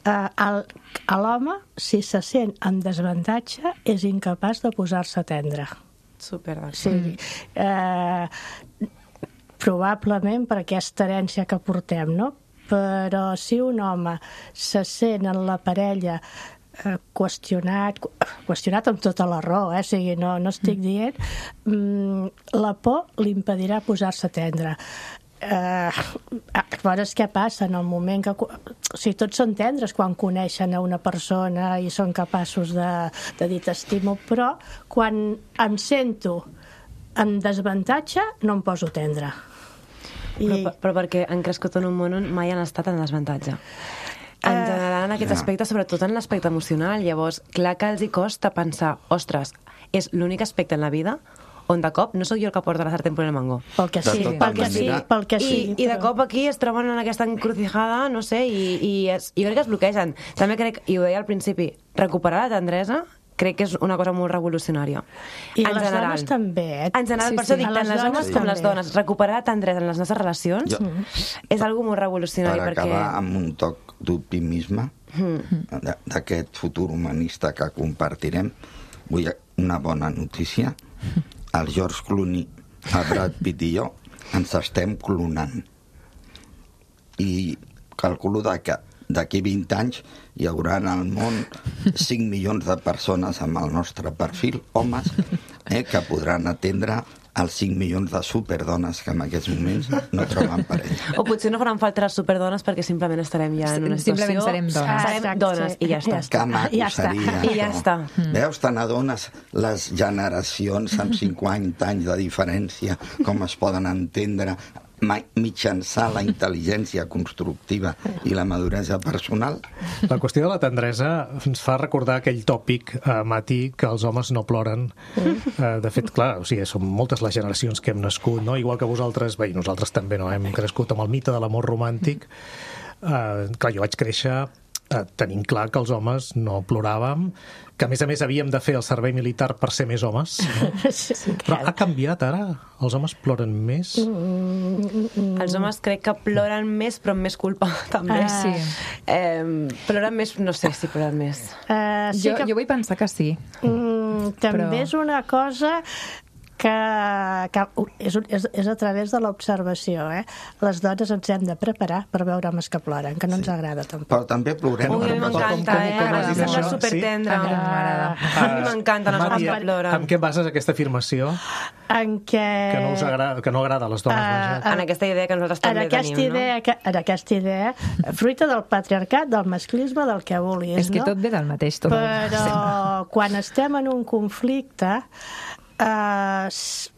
uh, el, a l'home, si se sent en desavantatge, és incapaç de posar-se tendre. Super d'acord. Sí. Eh, probablement per aquesta herència que portem, no? Però si un home se sent en la parella eh, qüestionat, qüestionat amb tota la raó, eh? O sigui, no, no estic dient, mm, la por li impedirà posar-se tendre. Eh, llavors què passa en el moment que o sigui, tots són tendres quan coneixen a una persona i són capaços de, de dir t'estimo, però quan em sento en desavantatge no em poso tendre. I, Però, però perquè han crescut en un món on mai han estat en desavantatge. En general, en aquest Ja. aspecte, sobretot en l'aspecte emocional, llavors, clar que els hi costa pensar, ostres, és l'únic aspecte en la vida on de cop no sóc jo el que porta la sartén por el mango. pel que De sí, tota pel que sí, manera- pel que I, sí. I de però- cop aquí es troben en aquesta encrucijada, no sé, i, i es, jo crec que es bloquegen. També crec, i ho deia al principi, recuperar la tendresa crec que és una cosa molt revolucionària. I en les general. dones també, eh? En general, Sí, per això sí. dic, A tant les les dones homes com les també. dones. Recuperar la tendresa en les nostres relacions Jo- és algo molt revolucionari, Per perquè... acabar amb un toc d'optimisme d- d'aquest futur humanista que compartirem, vull una bona notícia. El George Clooney, el Brad Pitt i jo ens estem clonant. I calculo de que d'aquí vint anys hi haurà en el món cinc milions de persones amb el nostre perfil, homes, eh, que podran atendre els cinc milions de superdones que en aquests moments no troben parella. O potser no faran falta les superdones perquè simplement estarem ja en una situació... Simplement serem dones. Ah, Serem exacte, dones sí. i ja està. Ja està. Que maco Ja està. seria. I ja això. està. Veus, te n'adones les generacions amb cinquanta anys de diferència, com es poden entendre ma- mitjançant la intel·ligència constructiva i la maduresa personal? La qüestió de la tendresa ens fa recordar aquell tòpic, eh, Mati, que els homes no ploren. Eh, de fet, clar, o sigui, són moltes les generacions que hem nascut, no? Igual que vosaltres, bé, nosaltres també no hem crescut amb el mite de l'amor romàntic. Eh, clar, jo vaig créixer tenim clar que els homes no ploràvem, que a més a més havíem de fer el servei militar per ser més homes. No? Sí, Però ha canviat ara? Els homes ploren més? Mm. Els homes crec que ploren més, però amb més culpa, també. Ah, sí. Eh, ploren més, no sé si ploren més. Uh, sí jo, que... jo vull pensar que sí. Mm, també Però... és una cosa que, que és, és, és a través de l'observació. Eh? Les dones ens hem de preparar per veure homes que ploren, que no ens agrada tampoc. Però també plorem. Ui, a mi m'encanta, eh? com has dit Em sembla això? supertendra. A mi no m'agrada. A mi m'encanten els homes Mati, que ploren. amb què bases aquesta afirmació? En què... Que no, us agrada, que no agrada a les dones, Ah, vaja. En aquesta idea que nosaltres en també aquesta tenim, idea, no? que, en aquesta idea, fruita del patriarcat, del masclisme, del que vulguis, És que no? tot ve del mateix, tot. Però quan estem en un conflicte, Uh,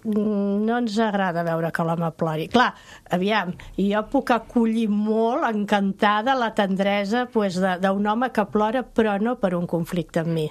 no ens agrada veure que l'home plori. Clar, aviam, jo puc acollir molt encantada la tendresa pues, d'un home que plora, però no per un conflicte amb mi.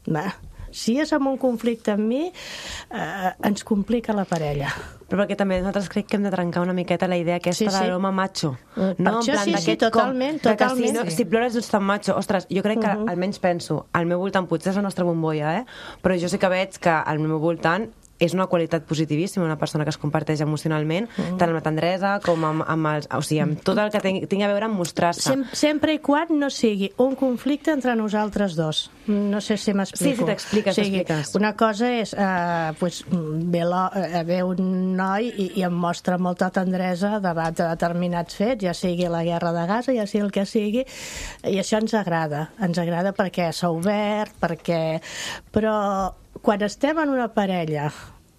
Va. Si és amb un conflicte amb mi, uh, ens complica la parella. Però perquè també nosaltres crec que hem de trencar una miqueta la idea aquesta Sí, sí. de l'home macho. Mm, No? per això En plan, sí, sí, d'aquest totalment, com, de que totalment. Si, no, Sí. si plores ets tan macho. Ostres, jo crec que, Mhm. almenys penso, al meu voltant, potser és la nostra bombolla, eh? però jo sí que veig que al meu voltant és una qualitat positivíssima, una persona que es comparteix emocionalment, mm. tant amb la tendresa com amb, amb els... O sigui, amb tot el que tingui, tingui a veure amb mostrar-se. Sem sempre i quan no sigui un conflicte entre nosaltres dos. No sé si m'explico. Sí, sí, t'expliques, o sigui, t'expliques. Una cosa és, eh, pues, ve, lo, eh, ve un noi i, i em mostra molta tendresa davant de determinats fets, ja sigui la guerra de Gaza, ja sigui el que sigui, i això ens agrada. Ens agrada perquè s'ha obert, perquè... Però quan estem en una parella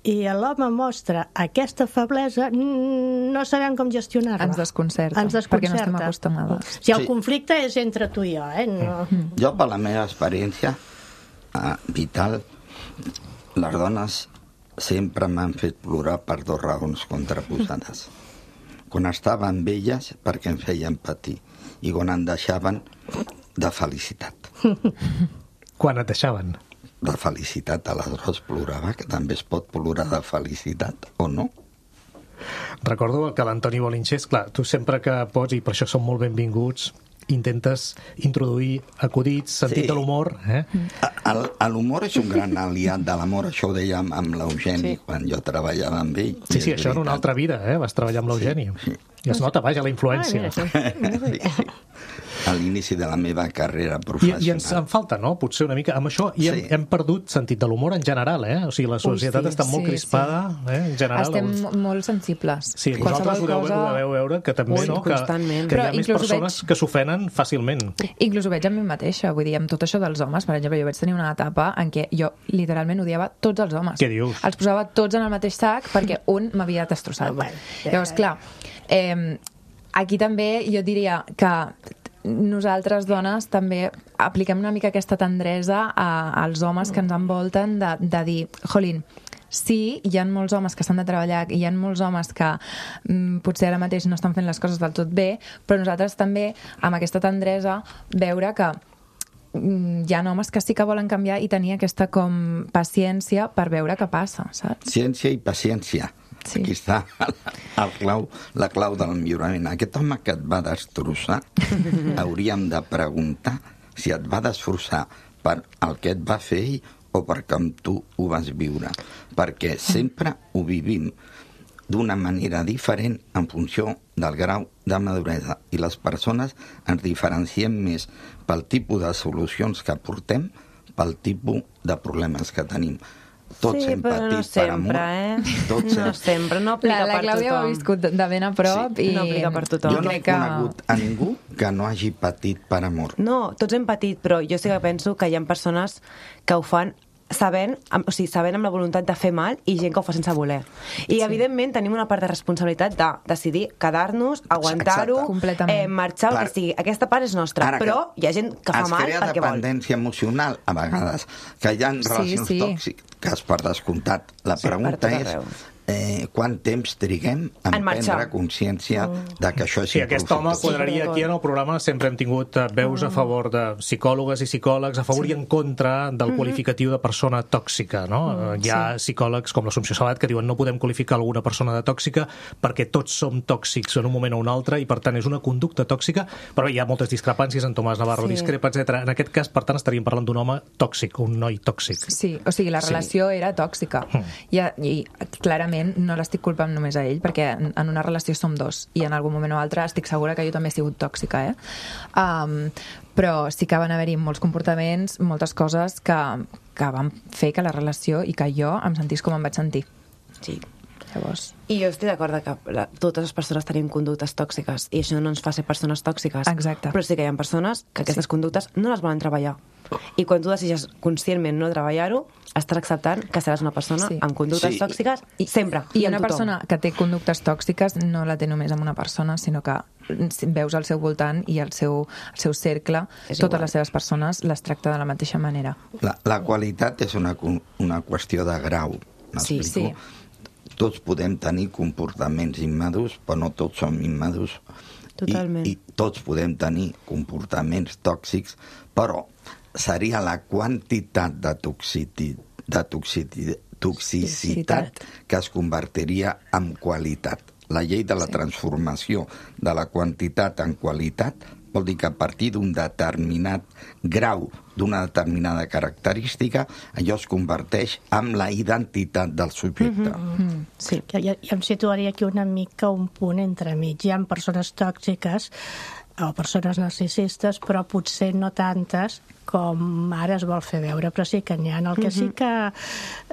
i l'home mostra aquesta feblesa, no sabem com gestionar-la. Ens desconcerta, Ens desconcerta. perquè no estem acostumades. Si el Sí. conflicte és entre tu i jo, eh? No. Jo, per la meva experiència eh, vital, les dones sempre m'han fet plorar per dues raons contraposades. Quan estava amb elles, perquè em feien patir, i quan em deixaven, de felicitat. Quan et deixaven? De felicitat, aleshores plorava, que també es pot plorar de felicitat, o no? Recordo que l'Antoni Bolinxés, clar, tu sempre que pots, i per això són molt benvinguts, intentes introduir acudits, sentit Sí. de l'humor, eh? El- L'humor és un gran aliat de l'amor, això ho dèiem amb l'Eugeni, Sí. quan jo treballava amb ell. Sí, i sí, és això en una veritat. altra vida, eh? Vas treballar amb l'Eugeni. Sí, sí. I es nota, vaja, la influència. Ah, mira, Sí, sí. A l'inici de la meva carrera I, professional. I ens en falta, no? Potser una mica amb això. I hem, Sí. hem perdut sentit de l'humor en general, eh? O sigui, la societat sí. està molt Sí, crispada, eh? En general. Estem Els- molt sensibles. Sí, Qualsevol vosaltres ho deveu, cosa- ho deveu veure, que també, Ui, no? Que, constantment. que hi Però ha més inclús ho persones veig- que s'ofenen fàcilment. Inclús ho veig a mi mateixa, vull dir, amb tot això dels homes, per exemple, jo vaig tenir una etapa en què jo literalment odiava tots els homes. Què dius? Els posava tots en el mateix sac perquè un m'havia destrossat. Bueno, Llavors, clar, eh, aquí també jo diria que nosaltres, dones, també apliquem una mica aquesta tendresa a, als homes que ens envolten de, de dir, jolín, sí, hi ha molts homes que s'han de treballar i hi ha molts homes que mm, potser ara mateix no estan fent les coses del tot bé, però nosaltres també, amb aquesta tendresa, veure que mm, hi ha homes que sí que volen canviar i tenir aquesta com paciència per veure què passa, saps? Ciència i paciència. Sí. Aquí està el clau, la clau del millorament. Aquest home que et va destrossar, hauríem de preguntar si et va destrossar per el que et va fer ell o per com tu ho vas viure. Perquè sempre ho vivim d'una manera diferent en funció del grau de maduresa. I les persones ens diferenciem més pel tipus de solucions que portem, pel tipus de problemes que tenim. Tots Sí, hem però no patit per sempre, amor. eh? Tots No hem... sempre, no aplica La, la per Clàudia ho ha tothom. viscut de de ben a prop Sí. i... No aplica per tothom. Jo no he crec que- conegut a ningú que no hagi patit per amor. No, tots hem patit, però jo sí que penso que hi ha persones que ho fan sabent, amb, o sigui, sabent amb la voluntat de fer mal i gent que ho fa sense voler. I, sí. evidentment, tenim una part de responsabilitat de decidir quedar-nos, aguantar-ho, Exacte. Completament. eh, marxar, el Clar. que sigui. Aquesta part és nostra, Ara que però hi ha gent que fa es mal crea perquè vol. dependència emocional, a vegades, que hi ha relacions sí. tòxiques per descomptat. La Sí, per pregunta tot és, arreu. eh, quant temps triguem a En marxar. prendre consciència de que això és Sí, aquest home improfitable. quadraria aquí en el programa. Sempre hem tingut eh, veus a favor de psicòlogues i psicòlegs, a favor i en contra del qualificatiu de persona tòxica, no? Hi ha psicòlegs com l'Assumpció Salat que diuen no podem qualificar alguna persona de tòxica perquè tots som tòxics en un moment o un altre i per tant és una conducta tòxica, però hi ha moltes discrepàncies, en Tomàs Navarro Sí. discrepa, etcètera. En aquest cas, per tant, estaríem parlant d'un home tòxic, un noi tòxic. Sí, o sigui, la Sí. relació era tòxica. I, I clarament no l'estic culpant només a ell, perquè en, en una relació som dos, i en algun moment o altre estic segura que jo també he sigut tòxica, eh? Um, però sí que van haver-hi molts comportaments, moltes coses que, que van fer que la relació i que jo em sentís com em vaig sentir. Sí. Llavors... I jo estic d'acord que la, totes les persones tenim conductes tòxiques i això no ens fa ser persones tòxiques. Exacte. Però sí que hi ha persones que aquestes Sí. conductes no les volen treballar. I quan tu decideixes conscientment no treballar-ho, estàs acceptant que seràs una persona Sí. amb conductes Sí. tòxiques I, sempre. I amb una tothom. persona que té conductes tòxiques no la té només amb una persona, sinó que veus al seu voltant i al seu, al seu cercle, És totes igual. les seves persones les tracta de la mateixa manera. La, la qualitat és una, una qüestió de grau, m'explico? Sí, sí. Tots podem tenir comportaments immadurs, però no tots som immadurs. Totalment. I, I tots podem tenir comportaments tòxics, però seria la quantitat de, toxiti, de toxiti, toxicitat que es convertiria en qualitat. La llei de la transformació de la quantitat en qualitat vol dir que a partir d'un determinat grau, d'una determinada característica, allò es converteix en la identitat del subjecte. Mm. Sí. Jo, jo, jo em situaria aquí una mica un punt entre mig. Hi ha persones tòxiques o persones narcisistes, però potser no tantes com ara es vol fer veure, però sí que n'hi ha. El que sí que...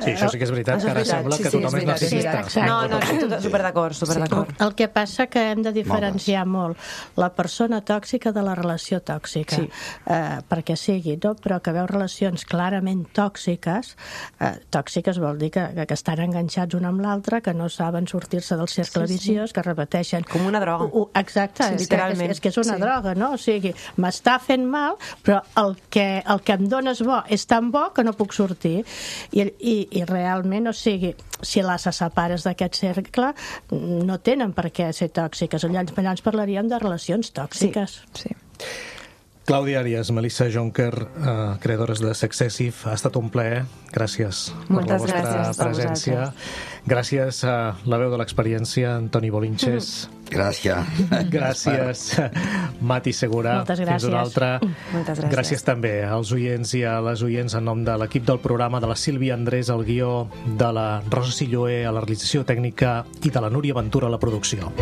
Sí, això sí que és veritat, Això que ara és veritat. sembla Sí, que sí, tothom és és veritat, és narcisista. veritat. Exacte. No, no, estic tot- superdd'acord, superdd'acord. El que passa que hem de diferenciar molt la persona tòxica de la relació tòxica, Sí. eh, perquè sigui, no? Però que veu relacions clarament tòxiques, eh, tòxiques vol dir que, que estan enganxats un amb l'altre, que no saben sortir-se del cercle Sí, sí. viciós, que repeteixen... Com una droga. U, exacte, Sí, és, que, és, literalment. és que és una Sí. droga, no? O sigui, m'està fent mal, però el que, el que em dones bo és tan bo que no puc sortir. I, i, i realment, o sigui, si les separes d'aquest cercle, no tenen per què ser tòxiques. Llavors, llavors parlaríem de relacions tòxiques. Sí. Clàudia Arias, Melissa Jonker, eh, creadores de Sexcessive, ha estat un plaer. Gràcies per la Moltes vostra gràcies a presència. Gràcies a la veu de l'experiència, Antoni Bolinches. Gràcies. Gràcies, Mati Segura. Moltes Fins una gràcies. altra. Moltes gràcies. Gràcies també als oients i a les oients en nom de l'equip del programa, de la Sílvia Andrés al guió, de la Rosa Silloé a la realització tècnica i de la Núria Ventura a la producció.